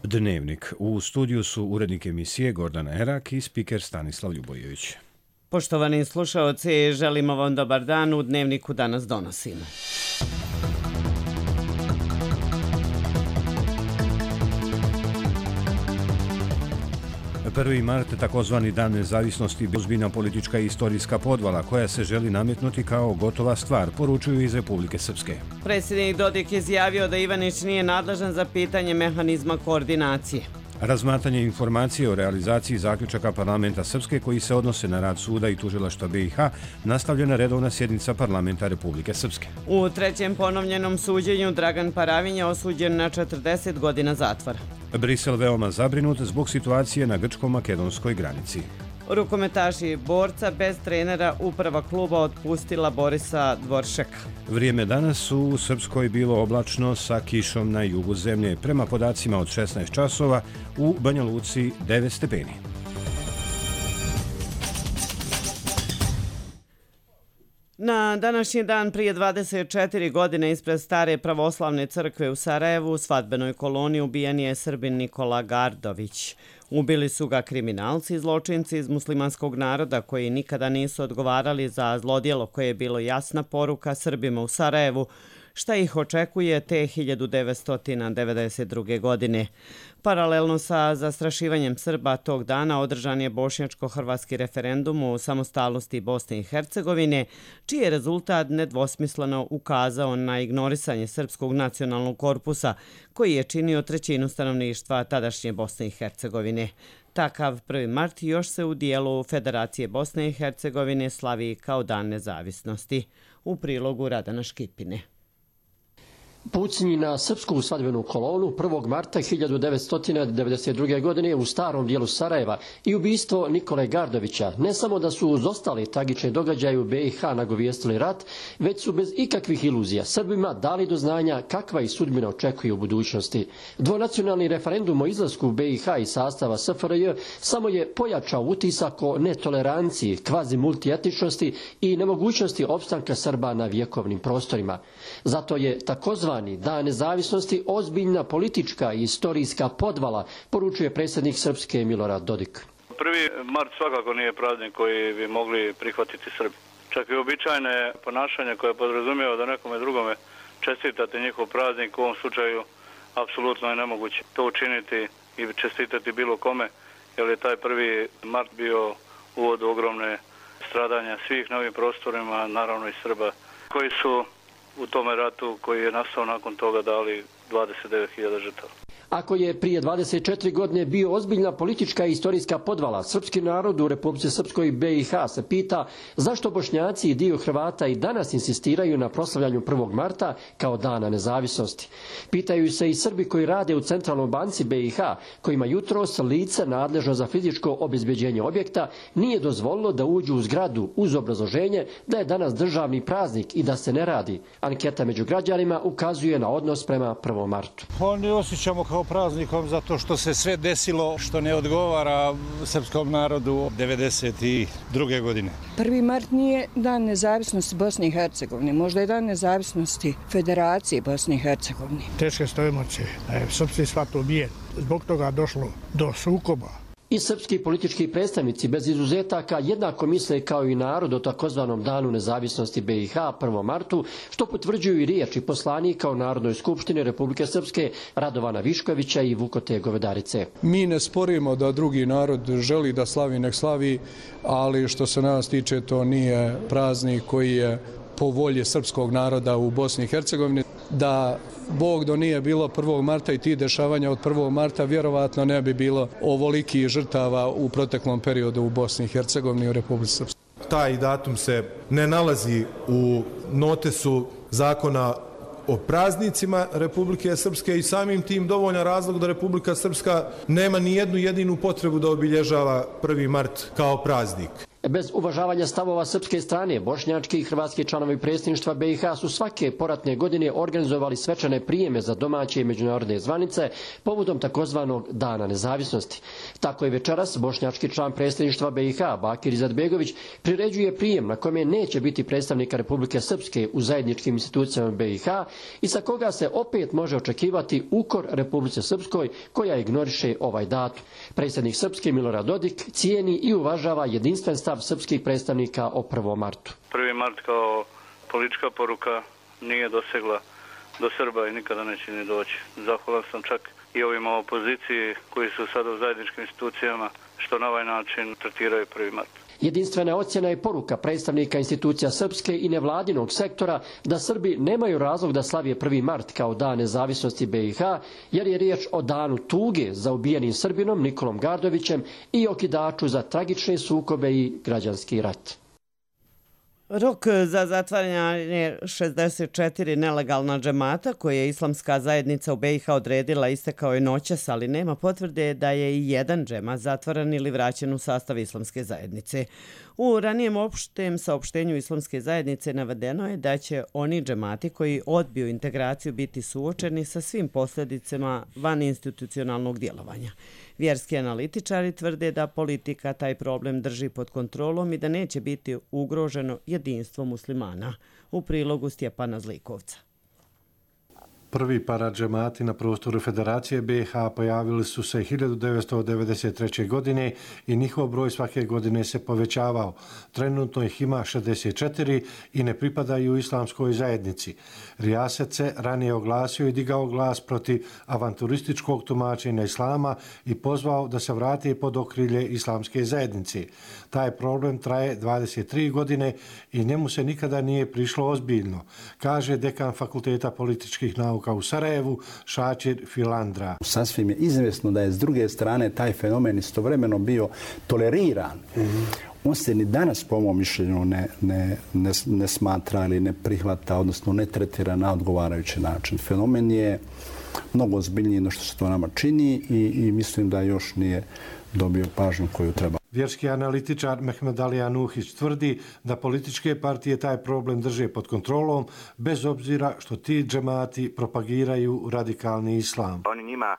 Dnevnik. U studiju su urednik emisije Gordana Erak i spiker Stanislav Ljubojević. Poštovani slušaoci, želimo vam dobar dan. U Dnevniku danas donosimo. 1. mart, takozvani Dan nezavisnosti, ozbiljna politička i istorijska podvala koja se želi nametnuti kao gotova stvar, poručuju iz Republike Srpske. Predsjednik Dodik izjavio da Ivanić nije nadležan za pitanje mehanizma koordinacije. Razmatranje informacije o realizaciji zaključaka parlamenta Srpske koji se odnose na rad suda i tužilaštva BiH nastavljena redovna sjednica parlamenta Republike Srpske. U trećem ponovljenom suđenju Dragan Paravinj je osuđen na 40 godina zatvora. Brisel veoma zabrinut zbog situacije na grčko-makedonskoj granici. Rukometaši borca bez trenera uprava kluba otpustila Borisa Dvoršeka. Vrijeme danas u Srpskoj bilo oblačno sa kišom na jugu zemlje. Prema podacima od 16 časova u Banja Luci 9 stepeni. Na današnji dan prije 24 godine ispred stare pravoslavne crkve u Sarajevu u svadbenoj koloni ubijen je Srbin Nikola Gardović. Ubili su ga kriminalci i zločinci iz muslimanskog naroda koji nikada nisu odgovarali za zlodjelo koje je bilo jasna poruka Srbima u Sarajevu, šta ih očekuje te 1992. godine. Paralelno sa zastrašivanjem Srba tog dana održan je bošnjačko-hrvatski referendum o samostalnosti Bosne i Hercegovine, čiji je rezultat nedvosmisleno ukazao na ignorisanje srpskog nacionalnog korpusa, koji je činio trećinu stanovništva tadašnje Bosne i Hercegovine. Takav 1. mart još se u dijelu Federacije Bosne i Hercegovine slavi kao Dan nezavisnosti. U prilogu Radana Škipine. Pucnji na srpsku svadbenu kolonu 1. marta 1992. godine u starom dijelu Sarajeva i ubistvo Nikole Gardovića ne samo da su uz ostali tragične događaje u BiH nagovijestili rat, već su bez ikakvih iluzija Srbima dali do znanja kakva ih sudbina očekuje u budućnosti. Dvonacionalni referendum o izlasku BiH iz sastava SFRJ samo je pojačao utisak o netoleranciji, kvazi multietničnosti i nemogućnosti opstanka Srba na vjekovnim prostorima. Zato je takozvani Dan nezavisnosti ozbiljna politička i istorijska podvala, poručuje predsjednik Srpske Milorad Dodik. 1. mart svakako nije praznik koji bi mogli prihvatiti Srbi. Čak i običajne ponašanje koje podrazumijeva da nekome drugome čestitate njihov praznik, u ovom slučaju apsolutno je nemoguće to učiniti i čestitati bilo kome, jer je taj 1. mart bio uvod u ogromne stradanja svih na ovim prostorima, naravno i Srba, koji su u tome ratu koji je nastao nakon toga dali 29.000 žrtava. Ako je prije 24 godine bio ozbiljna politička i istorijska podvala, srpski narod u Republici Srpskoj BiH se pita zašto Bošnjaci i dio Hrvata i danas insistiraju na proslavljanju 1. marta kao Dana nezavisnosti. Pitaju se i Srbi koji rade u Centralnoj banci BiH, kojima jutros lice nadležno za fizičko obezbeđenje objekta nije dozvolilo da uđu u zgradu uz obrazloženje da je danas državni praznik i da se ne radi. Anketa među građanima ukazuje na odnos prema 1. martu. Oni osjećamo kao praznikom zato što se sve desilo što ne odgovara srpskom narodu 1992. godine. 1. mart nije Dan nezavisnosti Bosne i Hercegovine, možda je Dan nezavisnosti Federacije Bosne i Hercegovine. Teške su emocije, da je srpski svat ubijen. Zbog toga došlo do sukoba. I srpski politički predstavnici bez izuzetaka jednako misle kao i narod o takozvanom Danu nezavisnosti BiH 1. martu, što potvrđuju i riječi poslanika u Narodnoj skupštini Republike Srpske Radovana Viškovića i Vukote Govedarice. Mi ne sporimo da drugi narod želi da slavi, nek slavi, ali što se nas tiče to nije praznik koji je po volji srpskog naroda u Bosni i Hercegovini. Da Bog do nije bilo 1. marta i ti dešavanja od 1. marta, vjerovatno ne bi bilo ovoliki žrtava u proteklom periodu u Bosni i Hercegovini i u Republici Srpskoj. Taj datum se ne nalazi u notesu zakona o praznicima Republike Srpske i samim tim dovoljan razlog da Republika Srpska nema ni jednu jedinu potrebu da obilježava 1. mart kao praznik. Bez uvažavanja stavova srpske strane, bošnjački i hrvatski članovi predsjedništva BiH su svake poratne godine organizovali svečane prijeme za domaće i međunarodne zvanice povodom takozvanog Dana nezavisnosti. Tako je večeras bošnjački član predsjedništva BiH, Bakir Izetbegović, priređuje prijem na kome neće biti predstavnika Republike Srpske u zajedničkim institucijama BiH i sa koga se opet može očekivati ukor Republike Srpskoj koja ignoriše ovaj datum. Predsjednik Srpske Milorad Dodik cijeni i uvažava jedinstven stav srpskih predstavnika o 1. martu. 1. mart kao politička poruka nije dosegla do Srba i nikada neće ni doći. Zahvalan sam čak i ovima opoziciji koji su sada u zajedničkim institucijama što na ovaj način tretiraju 1. mart. Jedinstvena ocjena je poruka predstavnika institucija srpske i nevladinog sektora da Srbi nemaju razlog da slavije 1. mart kao dan nezavisnosti BiH, jer je riječ o danu tuge za ubijenim Srbinom Nikolom Gardovićem i okidaču za tragične sukobe i građanski rat. Rok za zatvaranje 64 nelegalna džemata koje je islamska zajednica u BiH odredila istekao je noćas, ali nema potvrde da je i jedan džemat zatvaran ili vraćen u sastav islamske zajednice. U ranijem opštem saopštenju islamske zajednice navedeno je da će oni džemati koji odbiju integraciju biti suočeni sa svim posljedicama vaninstitucionalnog djelovanja. Vjerski analitičari tvrde da politika taj problem drži pod kontrolom i da neće biti ugroženo jedinstvo muslimana. U prilogu Stjepana Zlikovca. Prvi paradžemati na prostoru Federacije BiH pojavili su se 1993. godine i njihov broj svake godine se povećavao. Trenutno ih ima 64 i ne pripadaju islamskoj zajednici. Rijaset se ranije oglasio i digao glas protiv avanturističkog tumačenja islama i pozvao da se vrati pod okrilje islamske zajednice. Taj problem traje 23 godine i njemu se nikada nije prišlo ozbiljno, kaže dekan Fakulteta političkih nauka u Sarajevu, Šačir Filandra. Sasvim je izvjesno da je s druge strane taj fenomen istovremeno bio toleriran. On se ni danas, po mom mišljenju, ne smatra ili ne prihvata, odnosno ne tretira na odgovarajući način. Fenomen je mnogo ozbiljniji no što se to nama čini i mislim da još nije dobio pažnju koju treba. Vjerski analitičar Mehmed Alija Nuhić tvrdi da političke partije taj problem drže pod kontrolom, bez obzira što ti džemati propagiraju radikalni islam. Oni njima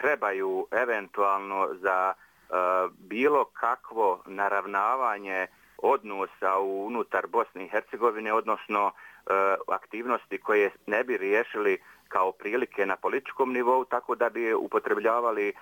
trebaju eventualno za bilo kakvo naravnavanje odnosa unutar Bosne i Hercegovine, odnosno aktivnosti koje ne bi riješili kao prilike na političkom nivou, tako da bi upotrebljavali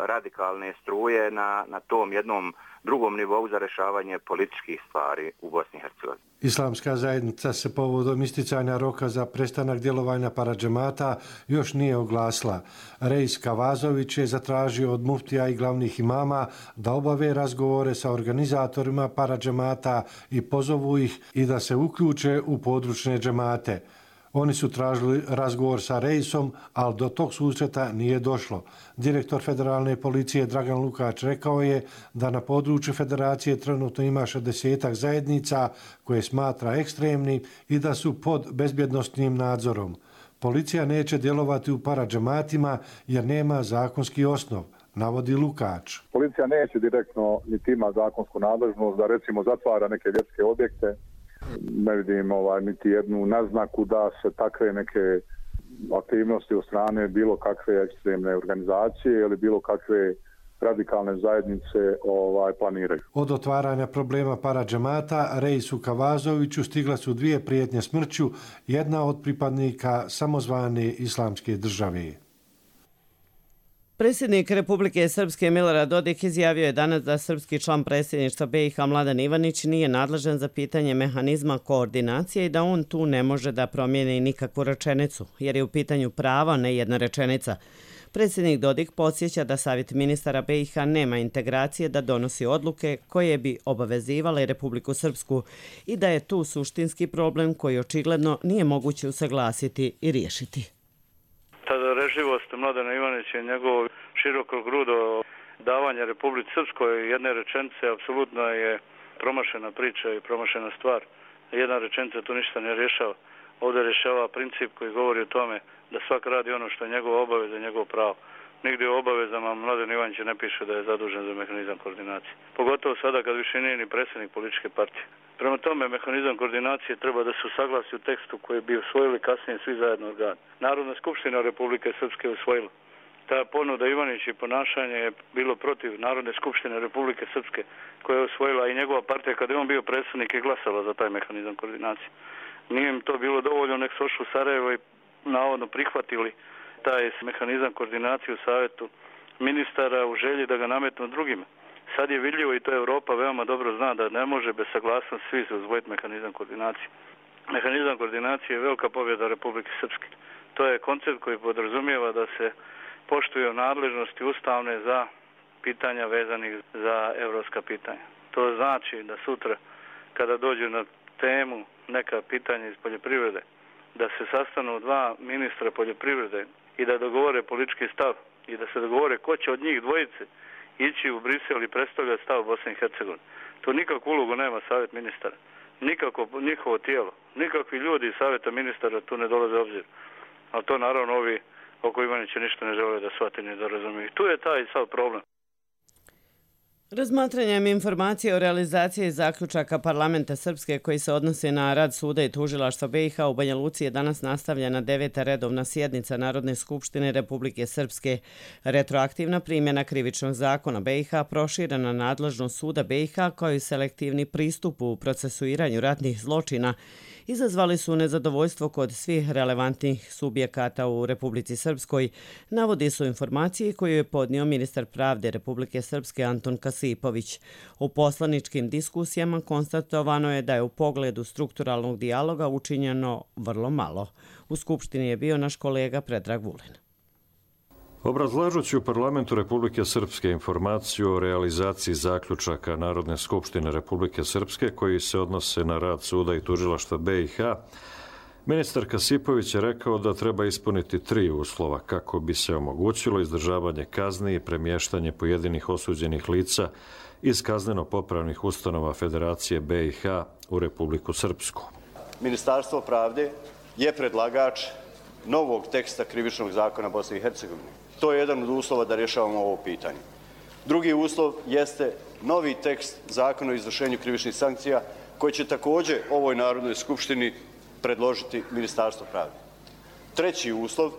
radikalne struje na tom jednom drugom nivou za rješavanje političkih stvari u Bosni i Hercegovini. Islamska zajednica se povodom isticanja roka za prestanak djelovanja paradžemata još nije oglasila. Reis Kavazović je zatražio od muftija i glavnih imama da obave razgovore sa organizatorima paradžemata i pozovu ih i da se uključe u područne džemate. Oni su tražili razgovor sa Reisom, ali do tog susreta nije došlo. Direktor federalne policije Dragan Lukač rekao je da na području federacije trenutno ima 60 zajednica koje smatra ekstremnim i da su pod bezbjednostnim nadzorom. Policija neće djelovati u paradžematima jer nema zakonski osnov, navodi Lukač. Policija neće direktno niti ima zakonsku nadležnost da recimo zatvara neke vjerske objekte. Ne vidim niti jednu naznaku da se takve neke aktivnosti od strane bilo kakve ekstremne organizacije ili bilo kakve radikalne zajednice planiraju. Od otvaranja problema paradžemata Reisu Kavazoviću stigla su 2 prijetnje smrću, jedna od pripadnika samozvane islamske države. Predsjednik Republike Srpske Milorad Dodik izjavio je danas da srpski član predsjedništva BiH Mladen Ivanić nije nadležan za pitanje mehanizma koordinacije i da on tu ne može da promijeni nikakvu rečenicu, jer je u pitanju prava, ne jedna rečenica. Predsjednik Dodik podsjeća da Savjet ministara BiH nema integracije da donosi odluke koje bi obavezivale Republiku Srpsku i da je tu suštinski problem koji očigledno nije moguće usaglasiti i riješiti. Tada reživost Mladena Ivanića i njegovo široko grudo davanje Republici Srpskoj jedne rečenice apsolutno je promašena priča i promašena stvar. Jedna rečenica tu ništa ne rješava. Ovdje rješava princip koji govori o tome da svak radi ono što je njegova obaveza i njegov pravo. Nigdje u obavezama Mladen Ivanića ne piše da je zadužen za mehanizam koordinacije. Pogotovo sada kad više nije ni predsjednik političke partije. Prema tome, mehanizam koordinacije treba da se usaglasi u tekstu koji bi usvojili kasnije svi zajedno organi. Narodna skupština Republike Srpske je usvojila. Ta ponuda Ivanić i ponašanje je bilo protiv Narodne skupštine Republike Srpske koja je usvojila i njegova partija kada je on bio predsjednik i glasala za taj mehanizam koordinacije. Nije im to bilo dovoljno, nek su ošli u Sarajevo i navodno prihvatili taj mehanizam koordinacije u savjetu ministara u želji da ga nametnu drugima. Sad je vidljivo i to Europa veoma dobro zna da ne može bez saglasnosti svi se uzvojiti mehanizam koordinacije. Mehanizam koordinacije je velika pobjeda Republike Srpske. To je koncept koji podrazumijeva da se poštuju nadležnosti ustavne za pitanja vezanih za evropska pitanja. To znači da sutra kada dođu na temu neka pitanja iz poljoprivrede, da se sastanu dva ministra poljoprivrede i da dogovore politički stav i da se dogovore ko će od njih dvojice ići u Brisel i predstavljati stav Bosne i Hercegovine. To nikakvu ulogu nema savjet ministara, nikako njihovo tijelo, nikakvi ljudi iz savjeta ministara tu ne dolaze u obzir. Ali to naravno ovi oko Ivanića ništa ne žele da shvate ni da razumiju. Tu je taj sav problem. Razmatranjem informacije o realizaciji zaključaka parlamenta Srpske koji se odnose na rad suda i tužilaštva BiH u Banja Luci je danas nastavljena 9. redovna sjednica Narodne skupštine Republike Srpske. Retroaktivna primjena krivičnog zakona BiH, proširena nadležnost suda BiH kao i selektivni pristup u procesuiranju ratnih zločina izazvali su nezadovoljstvo kod svih relevantnih subjekata u Republici Srpskoj, navodi su informacije koju je podnio ministar pravde Republike Srpske Anton Kasipović. U poslaničkim diskusijama konstatovano je da je u pogledu strukturalnog dijaloga učinjeno vrlo malo. U Skupštini je bio naš kolega Predrag Vulin. Obrazlažući u parlamentu Republike Srpske informaciju o realizaciji zaključaka Narodne skupštine Republike Srpske koji se odnose na rad suda i tužilaštva BiH, ministar Kasipović je rekao da treba ispuniti 3 uslova kako bi se omogućilo izdržavanje kazni i premještanje pojedinih osuđenih lica iz kazneno-popravnih ustanova Federacije BiH u Republiku Srpsku. Ministarstvo pravde je predlagač novog teksta krivičnog zakona Bosne i Hercegovine. To je jedan od uslova da rješavamo ovo pitanje. Drugi uslov jeste novi tekst zakona o izvršenju krivičnih sankcija koji će također ovoj Narodnoj skupštini predložiti Ministarstvo pravde. Treći uslov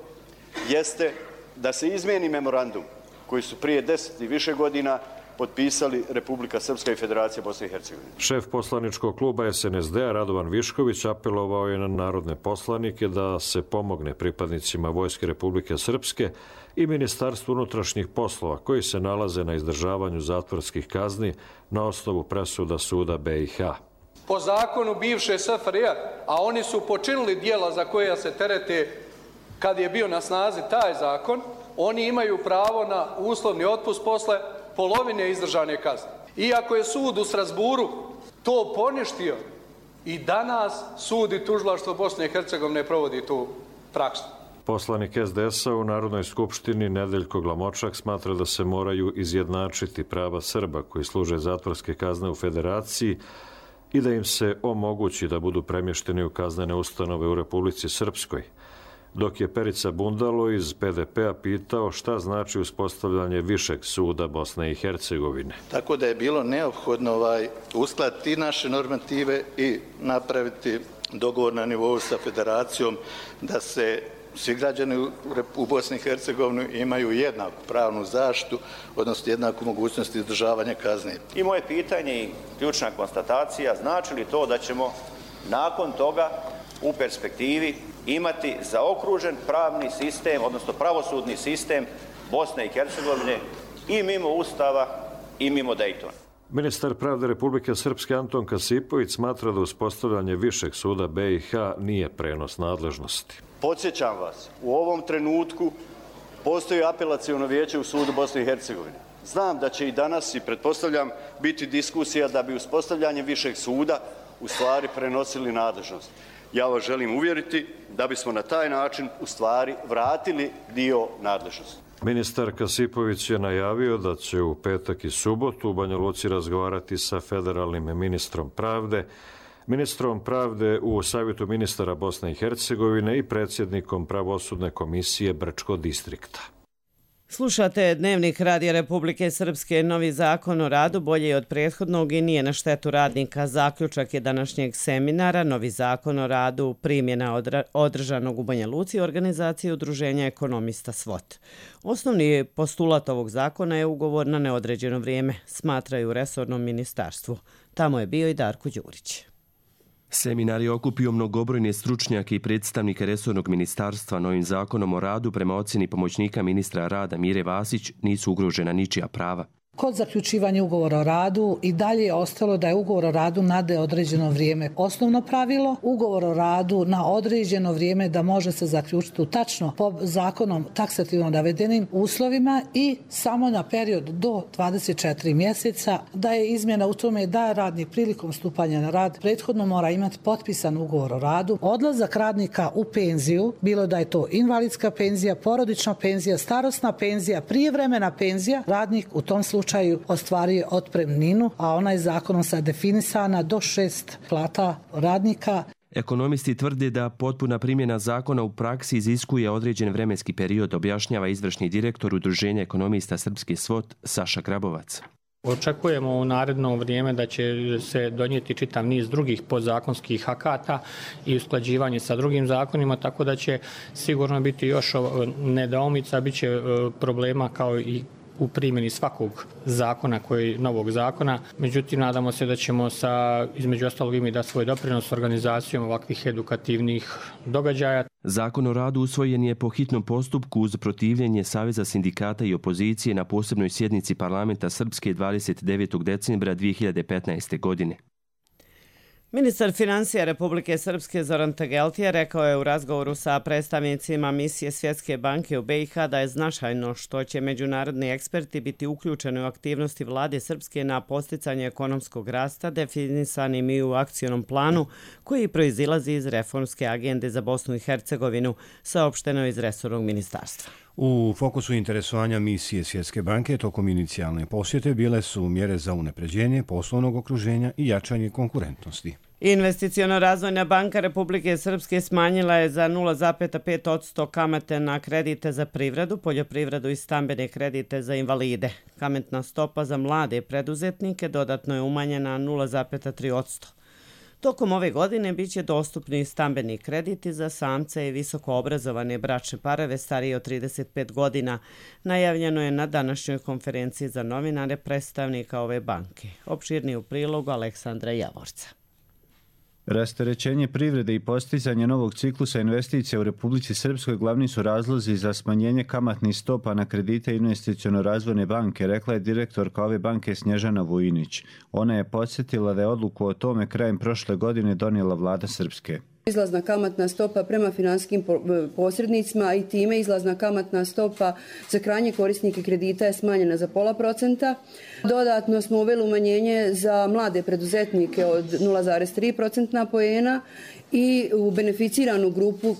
jeste da se izmijeni memorandum koji su prije 10 i više godina potpisali Republika Srpska i Federacija Bosne i Hercegovine. Šef poslaničkog kluba SNSD-a Radovan Višković apelovao je na narodne poslanike da se pomogne pripadnicima Vojske Republike Srpske i Ministarstvu unutrašnjih poslova koji se nalaze na izdržavanju zatvorskih kazni na osnovu presuda suda BiH. Po zakonu bivše SFRJ, a oni su počinili dijela za koja se terete kad je bio na snazi taj zakon, oni imaju pravo na uslovni otpust posle polovine izdržane kazne. Iako je sud u Strasburu to poništio, i danas sud i tužilaštvo Bosne i Hercegovine provodi tu praksu. Poslanik SDS-a u Narodnoj skupštini Nedeljko Glamočak smatra da se moraju izjednačiti prava Srba koji služe zatvorske kazne u Federaciji i da im se omogući da budu premješteni u kaznene ustanove u Republici Srpskoj. Dok je Perica Bundalo iz PDP-a pitao šta znači uspostavljanje Višeg suda Bosne i Hercegovine. Tako da je bilo neophodno uskladiti naše normative i napraviti dogovor na nivou sa Federacijom da se svi građani u Bosni i Hercegovini imaju jednaku pravnu zaštitu, odnosno jednaku mogućnost izdržavanja kazne. I moje pitanje i ključna konstatacija, znači li to da ćemo nakon toga u perspektivi imati zaokružen pravni sistem, odnosno pravosudni sistem Bosne i Hercegovine i mimo Ustava i mimo Dejtona? Ministar pravde Republike Srpske Anton Kasipović smatra da uspostavljanje Višeg suda BiH nije prenos nadležnosti. Podsjećam vas, u ovom trenutku postoji apelaciono vijeće u sudu Bosne i Hercegovine. Znam da će i danas, i pretpostavljam, biti diskusija da bi uspostavljanje Višeg suda u stvari prenosili nadležnost. Ja vas želim uvjeriti da bismo na taj način u stvari vratili dio nadležnosti. Ministar Kasipović je najavio da će u petak i subotu u Banja Luci razgovarati sa federalnim ministrom pravde u Savjetu ministara Bosne i Hercegovine i predsjednikom pravosudne komisije Brčko distrikta. Slušate Dnevnik Radija Republike Srpske. Novi zakon o radu bolje je od prethodnog i nije na štetu radnika. Zaključak je današnjeg seminara. Novi zakon o radu primjena održanog u Banja Luci organizacije Udruženja ekonomista SWOT. Osnovni postulat ovog zakona je ugovor na neodređeno vrijeme, smatraju u resornom ministarstvu. Tamo je bio i Darko Đurić. Seminar je okupio mnogobrojne stručnjake i predstavnike resornog ministarstva. Novim zakonom o radu prema ocjeni pomoćnika ministra rada Mire Vasić nisu ugrožena ničija prava. Kod zaključivanja ugovora o radu i dalje je ostalo da je ugovor o radu na neodređeno vrijeme osnovno pravilo. Ugovor o radu na određeno vrijeme da može se zaključiti tačno po zakonom taksativno navedenim uslovima i samo na period do 24 mjeseca, da je izmjena u tome da radnik prilikom stupanja na rad prethodno mora imati potpisan ugovor o radu. Odlazak radnika u penziju, bilo da je to invalidska penzija, porodična penzija, starosna penzija, prijevremena penzija, radnik u tom slučaju ostvario otpremninu, a ona je zakonom sad definisana do 6 plata radnika. Ekonomisti tvrde da potpuna primjena zakona u praksi iziskuje određen vremenski period, objašnjava izvršni direktor Udruženja ekonomista Srpske SWOT Saša Grabovac. Očekujemo u naredno vrijeme da će se donijeti čitav niz drugih podzakonskih akata i usklađivanje sa drugim zakonima, tako da će sigurno biti još nedoumica, bit će problema kao i u primjeni svakog zakona, novog zakona. Međutim, nadamo se da ćemo između ostalog imati da svoj doprinos organizacijom ovakvih edukativnih događaja. Zakon o radu usvojen je po hitnom postupku uz protivljenje Saveza sindikata i opozicije na posebnoj sjednici parlamenta Srpske 29. decembra 2015. godine. Ministar financija Republike Srpske Zoran Tageltija rekao je u razgovoru sa predstavnicima misije Svjetske banke u BiH da je značajno što će međunarodni eksperti biti uključeni u aktivnosti vlade Srpske na posticanje ekonomskog rasta definisanim i u akcionom planu koji proizilazi iz reformske agende za Bosnu i Hercegovinu, saopšteno iz resornog ministarstva. U fokusu interesovanja misije Svjetske banke tokom inicijalne posjete bile su mjere za unapređenje poslovnog okruženja i jačanje konkurentnosti. Investiciono-razvojna banka Republike Srpske smanjila je za 0,5% kamate na kredite za privredu, poljoprivredu i stambene kredite za invalide. Kamatna stopa za mlade preduzetnike dodatno je umanjena 0,3%. Tokom ove godine bit će dostupni stambeni krediti za samce i visoko obrazovane bračne parove starije od 35 godina. Najavljeno je na današnjoj konferenciji za novinare predstavnika ove banke. Opširni u prilogu Aleksandra Javorca. Rasterećenje privrede i postizanje novog ciklusa investicija u Republici Srpskoj glavni su razlozi za smanjenje kamatnih stopa na kredite Investiciono-razvojne banke, rekla je direktorka ove banke Snježana Vujinić. Ona je podsjetila da je odluku o tome krajem prošle godine donijela vlada Srpske. Izlazna kamatna stopa prema finansijskim posrednicima i time izlazna kamatna stopa za krajnje korisnike kredita je smanjena za 0,5%. Dodatno smo uveli umanjenje za mlade preduzetnike od 0,3% poena i u beneficiranu grupu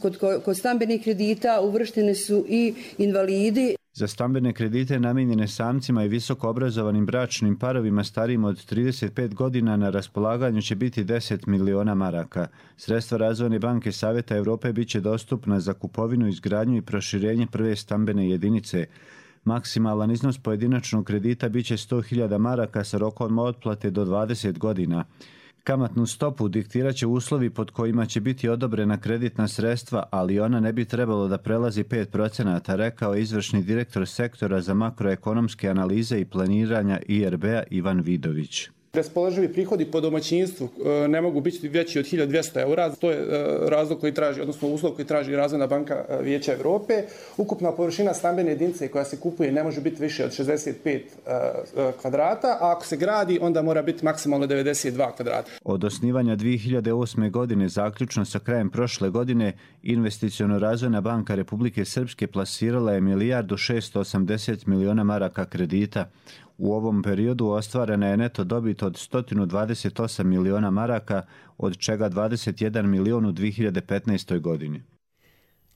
kod stambenih kredita uvrštene su i invalidi. Za stambene kredite namijenjene samcima i visoko obrazovanim bračnim parovima starijim od 35 godina na raspolaganju će biti 10 miliona maraka. Sredstva Razvojne banke Savjeta Evrope bit će dostupna za kupovinu, izgradnju i proširenje prve stambene jedinice. Maksimalan iznos pojedinačnog kredita bit će 100.000 maraka sa rokom otplate do 20 godina. Kamatnu stopu diktirat će uslovi pod kojima će biti odobrena kreditna sredstva, ali ona ne bi trebalo da prelazi 5%, rekao je izvršni direktor sektora za makroekonomske analize i planiranja IRB-a Ivan Vidović. Raspoloživi prihodi po domaćinstvu ne mogu biti veći od 1.200 eura. To je razlog koji traži, odnosno uslov koji traži Razvojna banka Vijeća Evrope. Ukupna površina stambene jedinice koja se kupuje ne može biti više od 65 kvadrata, a ako se gradi onda mora biti maksimalno 92 kvadrata. Od osnivanja 2008. godine zaključno sa krajem prošle godine Investiciono-razvojna banka Republike Srpske plasirala je 1.680 miliona maraka kredita. U ovom periodu ostvarena je neto dobit od 128 miliona maraka, od čega 21 milion u 2015. godini.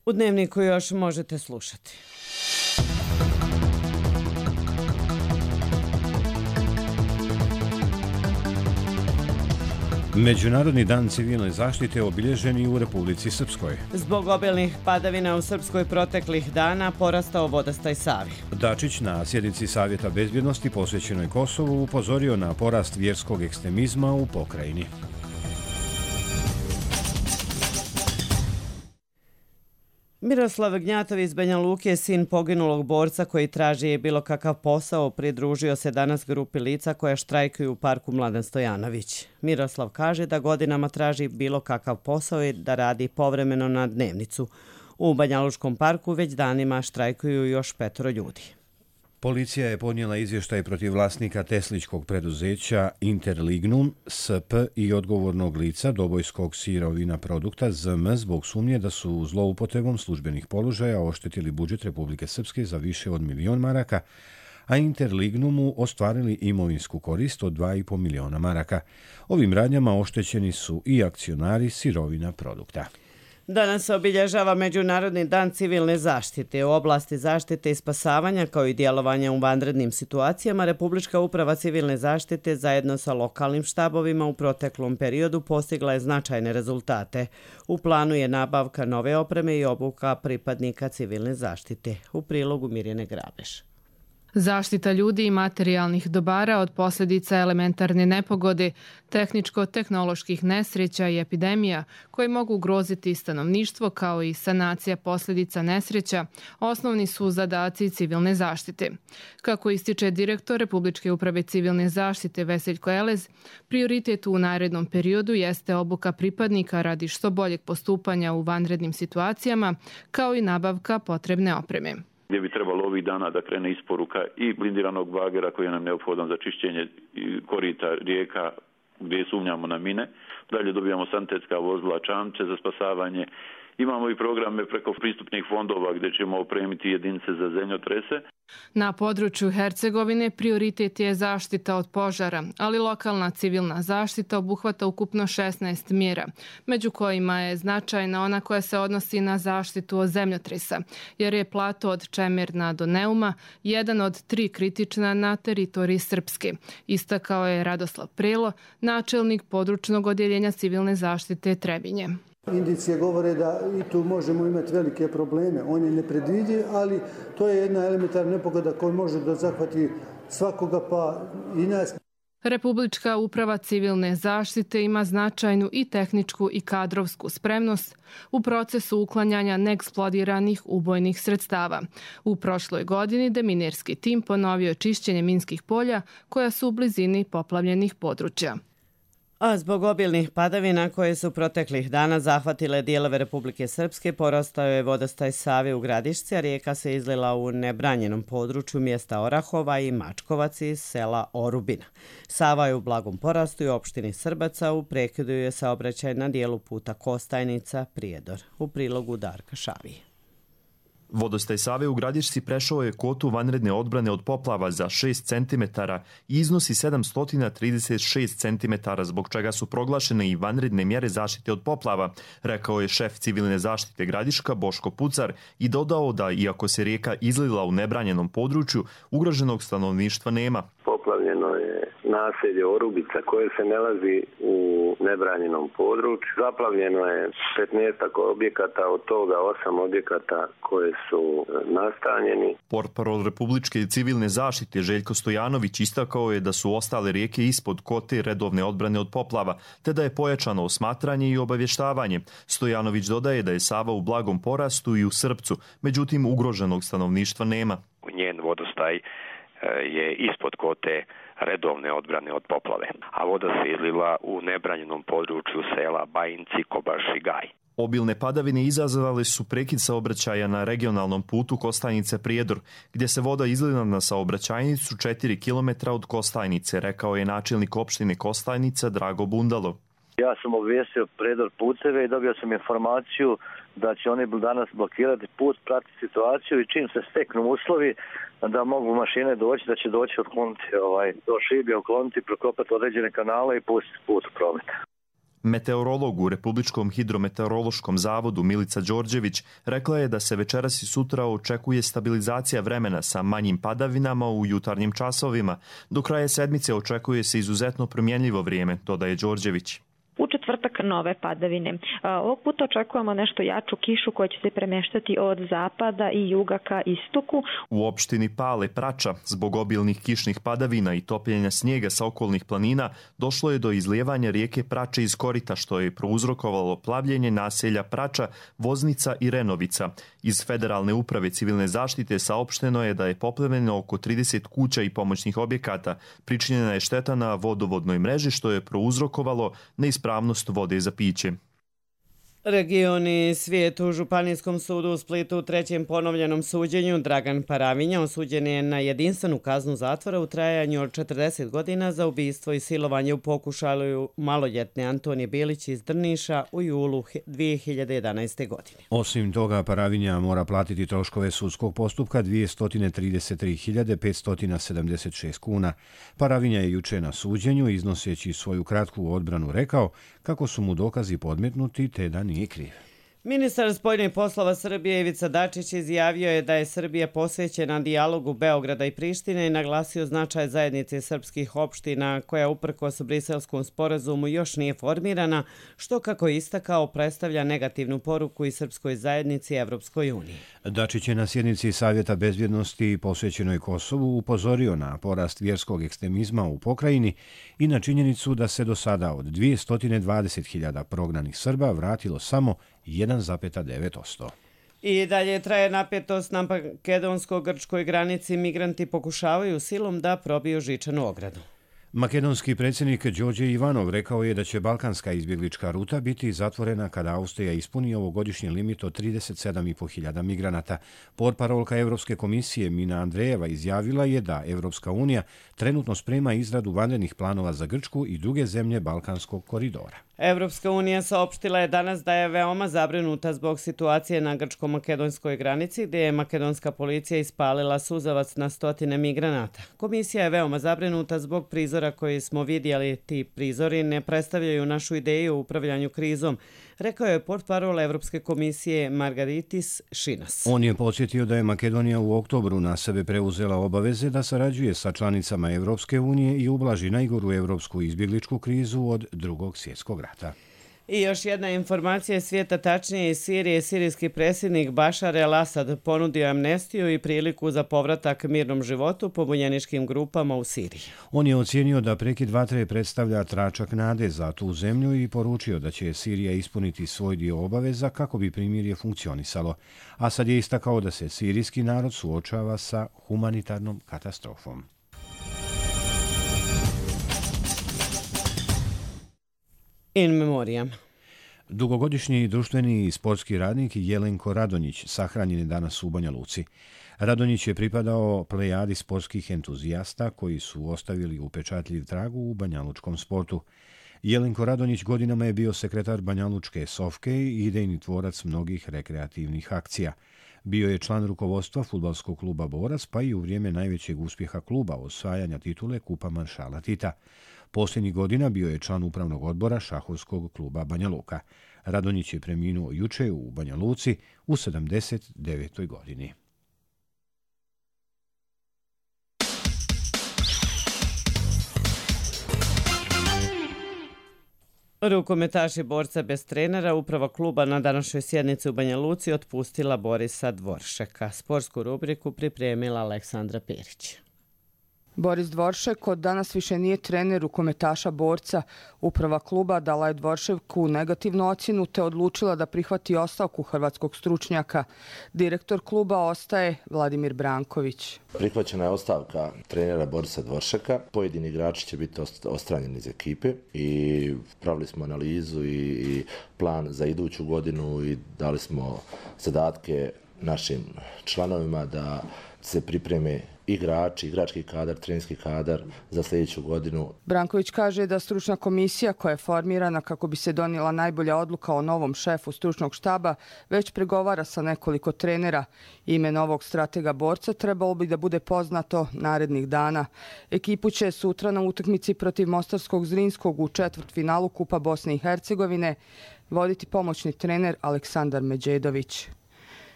U Dnevniku još možete slušati. Međunarodni dan civilne zaštite obilježen i u Republici Srpskoj. Zbog obilnih padavina u Srpskoj proteklih dana porastao vodostaj Savi. Dačić na sjednici Savjeta bezbjednosti posvećenoj Kosovu upozorio na porast vjerskog ekstremizma u pokrajini. Miroslav Gnjatov iz Banja Luke, sin poginulog borca koji traži bilo kakav posao, pridružio se danas grupi lica koja štrajkuju u parku Mladen Stojanović. Miroslav kaže da godinama traži bilo kakav posao i da radi povremeno na dnevnicu. U Banja Lučkom parku već danima štrajkuju još 5 ljudi. Policija je podnijela izvještaj protiv vlasnika tesličkog preduzeća Interlignum SP i odgovornog lica Dobojskog sirovina produkta ZM zbog sumnje da su zloupotrebom službenih položaja oštetili budžet Republike Srpske za više od 1 milion maraka, a Interlignumu ostvarili imovinsku korist od 2,5 miliona maraka. Ovim radnjama oštećeni su i akcionari sirovina produkta. Danas se obilježava Međunarodni dan civilne zaštite. U oblasti zaštite i spasavanja kao i djelovanja u vanrednim situacijama Republička uprava civilne zaštite zajedno sa lokalnim štabovima u proteklom periodu postigla je značajne rezultate. U planu je nabavka nove opreme i obuka pripadnika civilne zaštite. U prilogu Mirjane Grabeš. Zaštita ljudi i materijalnih dobara od posljedica elementarne nepogode, tehničko-tehnoloških nesreća i epidemija koje mogu ugroziti stanovništvo kao i sanacija posljedica nesreća osnovni su zadaci civilne zaštite. Kako ističe direktor Republičke uprave civilne zaštite Veseljko Elez, prioritet u narednom periodu jeste obuka pripadnika radi što boljeg postupanja u vanrednim situacijama kao i nabavka potrebne opreme. Gdje bi trebalo ovih dana da krene isporuka i blindiranog bagera koji je nam neophodan za čišćenje korita rijeka gdje sumnjamo na mine. Dalje dobijamo sanitetska vozila, čamče za spasavanje. Imamo i programe preko pristupnih fondova gdje ćemo opremiti jedinice za zemljotrese. Na području Hercegovine prioritet je zaštita od požara, ali lokalna civilna zaštita obuhvata ukupno 16 mjera, među kojima je značajna ona koja se odnosi na zaštitu od zemljotresa, jer je plato od Čemerna do Neuma jedan od 3 kritična na teritoriji Srpske, istakao je Radoslav Prelo, načelnik područnog odjeljenja civilne zaštite Trebinje. Indicije govore da i tu možemo imati velike probleme. On je nepredvidljiv, ali to je jedna elementarna nepogoda koja može da zahvati svakoga pa i nas. Republička uprava civilne zaštite ima značajnu i tehničku i kadrovsku spremnost u procesu uklanjanja neeksplodiranih ubojnih sredstava. U prošloj godini deminerski tim ponovio čišćenje minskih polja koja su u blizini poplavljenih područja. A zbog obilnih padavina koje su proteklih dana zahvatile dijelove Republike Srpske, porastao je vodostaj Save u Gradišci, a rijeka se izlila u nebranjenom području mjesta Orahova i Mačkovac iz sela Orubina. Sava je u blagom porastu i opštini Srbaca, u prekidu je saobraćaj na dijelu puta Kostajnica-Prijedor. U prilogu Darka Šavije. Vodostaj Save u Gradišci prešao je kvotu vanredne odbrane od poplava za 6 cm i iznosi 736 cm, zbog čega su proglašene i vanredne mjere zaštite od poplava, rekao je šef civilne zaštite Gradiška Boško Pucar i dodao da, iako se rijeka izlila u nebranjenom području, ugroženog stanovništva nema. Poplavljeno je naselje Orubica koje se nalazi u nebranjenom području. Zaplavljeno je 15 objekata, od toga 8 objekata koje su nastanjeni. Portparol Republičke civilne zaštite Željko Stojanović istakao je da su ostale rijeke ispod kote redovne odbrane od poplava, te da je pojačano osmatranje i obavještavanje. Stojanović dodaje da je Sava u blagom porastu i u Srpcu, međutim ugroženog stanovništva nema. Njen vodostaj je ispod kote redovne odbrane od poplave, a voda se izlila u nebranjenom području sela Bajinci, Kobaš i Gaj. Obilne padavine izazvale su prekid saobraćaja na regionalnom putu Kostajnice-Prijedor, gdje se voda izlila na saobraćajnicu 4 km od Kostajnice, rekao je načelnik opštine Kostajnica Drago Bundalo. Ja sam obvijestio Prijedor puteve i dobio sam informaciju da će oni danas blokirati put, pratiti situaciju i čim se steknu uslovi da mogu mašine doći, da će doći otkloniti do Šibija, otkloniti, prokopati određene kanale i pustiti put u promet. Meteorolog u Republičkom hidrometeorološkom zavodu Milica Đorđević rekla je da se večeras i sutra očekuje stabilizacija vremena sa manjim padavinama u jutarnjim časovima. Do kraja sedmice očekuje se izuzetno promjenljivo vrijeme, dodaje Đorđević. četvrtak nove padavine. Ovog puta očekujemo nešto jaču kišu koja će se premještati od zapada i juga ka istoku. U opštini Pale Prača, zbog obilnih kišnih padavina i topljenja snijega sa okolnih planina, došlo je do izlijevanja rijeke Prače iz korita, što je prouzrokovalo plavljenje naselja Prača, Voznica i Renovica. Iz Federalne uprave civilne zaštite saopšteno je da je poplavljeno oko 30 kuća i pomoćnih objekata. Pričinjena je šteta na vodovodnoj mreži, što je prouzrokovalo neispravnost vode za piće. Regioni svijet u Županijskom sudu u Splitu u trećem ponovljenom suđenju Dragan Paravinja osuđen je na jedinstvenu kaznu zatvora u trajanju od 40 godina za ubistvo i silovanje u pokušaju maloljetne Antonije Bilić iz Drniša u julu 2011. godine. Osim toga, Paravinja mora platiti troškove sudskog postupka 233.576 kuna. Paravinja je juče na suđenju, iznoseći svoju kratku odbranu, rekao kako su mu dokazi podmetnuti te da nije kriv. Ministar spoljnih poslova Srbije Ivica Dačić izjavio je da je Srbija posvećena dijalogu Beograda i Prištine i naglasio značaj zajednice srpskih opština koja uprkos Briselskom sporazumu još nije formirana, što kako je istakao predstavlja negativnu poruku i srpskoj zajednici i Evropskoj uniji. Dačić je na sjednici Savjeta bezbjednosti posvećenoj Kosovu upozorio na porast vjerskog ekstremizma u pokrajini i na činjenicu da se do sada od 220.000 prognanih Srba vratilo samo 1,9%. I dalje traje napetost na makedonsko-grčkoj granici. Migranti pokušavaju silom da probiju žičanu ogradu. Makedonski predsjednik Đorđe Ivanov rekao je da će balkanska izbjeglička ruta biti zatvorena kada Austrija ispuni ovogodišnji limit od 37.500 migranata. Portparolka Evropske komisije Mina Andrejeva izjavila je da Evropska unija trenutno sprema izradu vanrednih planova za Grčku i druge zemlje Balkanskog koridora. Evropska unija saopštila je danas da je veoma zabrinuta zbog situacije na grčko-makedonskoj granici, gdje je makedonska policija ispalila suzavac na stotine migranata. Komisija je veoma zabrinuta zbog prizora koji smo vidjeli. Ti prizori ne predstavljaju našu ideju o upravljanju krizom, rekao je portparol Evropske komisije Margaritis Šinas. On je podsjetio da je Makedonija u oktobru na sebe preuzela obaveze da sarađuje sa članicama Evropske unije i ublaži najgoru evropsku izbjegličku krizu od Drugog svjetskog rata. I još jedna informacija svijeta, tačnije iz Sirije. Sirijski predsjednik Bašar el-Asad ponudio amnestiju i priliku za povratak mirnom životu pobunjeničkim grupama u Siriji. On je ocijenio da prekid vatre predstavlja tračak nade za tu zemlju i poručio da će Sirija ispuniti svoj dio obaveza kako bi primirje funkcionisalo. Asad je istakao da se sirijski narod suočava sa humanitarnom katastrofom. In memoriam. Dugogodišnji društveni i sportski radnik Jelenko Radonjić sahranjen je danas u Banja Luci. Radonjić je pripadao plejadi sportskih entuzijasta koji su ostavili upečatljiv trag u banjalučkom sportu. Jelenko Radonjić godinama je bio sekretar Banjalučke Sofke i idejni tvorac mnogih rekreativnih akcija. Bio je član rukovodstva fudbalskog kluba Borac, pa i u vrijeme najvećeg uspjeha kluba osvajanja titule Kupa maršala Tita. Posljednjih godina bio je član upravnog odbora šahovskog kluba Banja Luka. Radonjić je preminuo juče u Banja Luci u 79. godini. Rukometaši Borca bez trenera, uprava kluba na današnjoj sjednici u Banja Luci otpustila Borisa Dvoršeka. Sportsku rubriku pripremila Aleksandra Perić. Boris Dvoršek od danas više nije trener rukometaša Borca. Uprava kluba dala je Dvoršeku negativnu ocjenu te odlučila da prihvati ostavku hrvatskog stručnjaka. Direktor kluba ostaje Vladimir Branković. Prihvaćena je ostavka trenera Borisa Dvoršeka. Pojedini igrači će biti odstranjeni iz ekipe i pravili smo analizu i plan za iduću godinu i dali smo zadatke našim članovima da se pripreme igrači, igrački kadar, trenerski kadar za sljedeću godinu. Branković kaže da stručna komisija koja je formirana kako bi se donijela najbolja odluka o novom šefu stručnog štaba već pregovara sa nekoliko trenera. Ime novog stratega Borca trebalo bi da bude poznato narednih dana. Ekipu će sutra na utakmici protiv Mostarskog Zrinskog u četvrtfinalu Kupa Bosne i Hercegovine voditi pomoćni trener Aleksandar Međedović.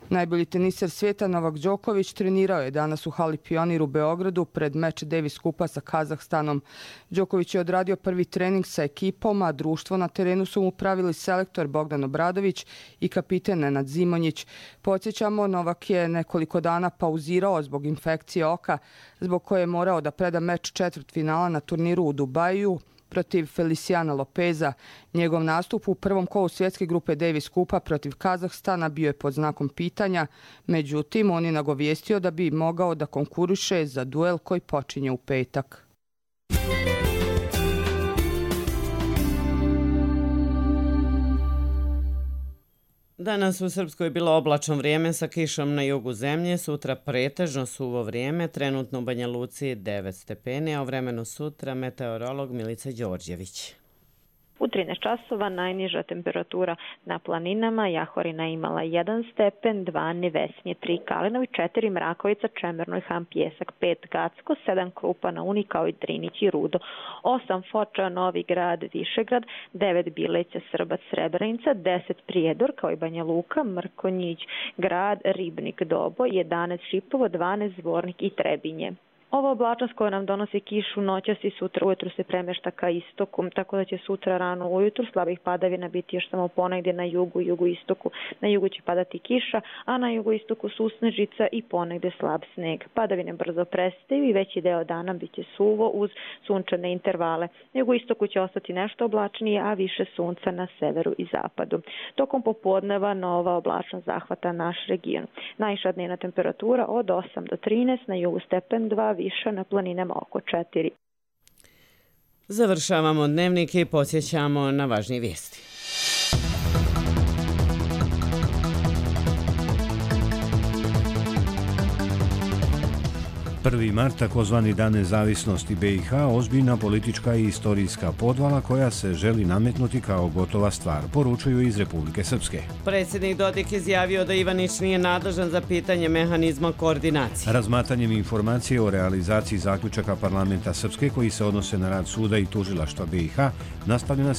Najbolji teniser svijeta Novak Đoković trenirao je danas u hali Pionir u Beogradu pred meč Davis Kupa sa Kazahstanom. Đoković je odradio prvi trening sa ekipom, a društvo na terenu su mu pravili selektor Bogdan Obradović i kapiten Nenad Zimonjić. Podsjećamo, Novak je nekoliko dana pauzirao zbog infekcije oka, zbog koje je morao da preda meč četvrtfinala na turniru u Dubaju protiv Feliciana Lopeza. Njegov nastup u prvom kolu svjetske grupe Davis Kupa protiv Kazahstana bio je pod znakom pitanja, međutim on je nagovijestio da bi mogao da konkuriše za duel koji počinje u petak. Danas u Srpskoj je bilo oblačno vrijeme sa kišom na jugu zemlje, sutra pretežno suvo vrijeme, trenutno u Banja Luci 9 stepeni, a u vremenu sutra meteorolog Milica Đorđević. U 13 časova najniža temperatura na planinama, Jahorina imala 1 stepen, 2 Nevesnje, 3 Kalinovi, 4 Mrakovica, Čemernoj, Han, Pjesak, 5 Gacko, 7 Krupa na Uni kao i Drinić i Rudo, 8 Foča, Novi Grad, Višegrad, 9 Bileća, Srbac, Srebrenica, 10 Prijedor kao i Banja Luka, Mrkonjić, Grad, Ribnik, Dobo, 11 Šipovo, 12 Zvornik i Trebinje. Ova oblačnost koja nam donosi kišu noćas i sutra ujutru se premešta ka istoku, tako da će sutra rano ujutru slabih padavina biti još samo ponegdje na jugu, jugoistoku. Na jugu će padati kiša, a na jugoistoku susnežica i ponegdje slab sneg. Padavine brzo prestaju i veći deo dana bit će suvo uz sunčane intervale. Na jugoistoku će ostati nešto oblačnije, a više sunca na severu i zapadu. Tokom popodneva nova oblačnost zahvata naš region. Najviša dnevna temperatura od 8 do 13, na jugu stepen 2, više na planinama oko 4. Završavamo dnevnik i podsjećamo na važnije vijesti. 1. mart, takozvani Dan nezavisnosti BiH, ozbiljna politička i istorijska podvala koja se želi nametnuti kao gotova stvar, poručuju iz Republike Srpske. Predsjednik Dodik izjavio da Ivanić nije nadležan za pitanje mehanizma koordinacije. Razmatranjem informacije o realizaciji zaključaka parlamenta Srpske koji se odnose na rad suda i tužilaštva BiH, nastavljena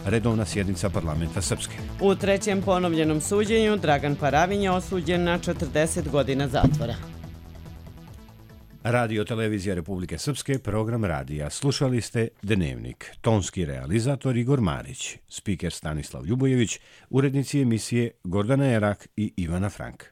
redovna sjednica parlamenta Srpske. U trećem ponovljenom suđenju Dragan Paravin je osuđen na 40 godina zatvora. Radio Televizija Republike Srpske, program radija. Slušali ste Dnevnik. Tonski realizator Igor Marić, spiker Stanislav Ljubojević, urednici emisije Gordana Erak i Ivana Frank.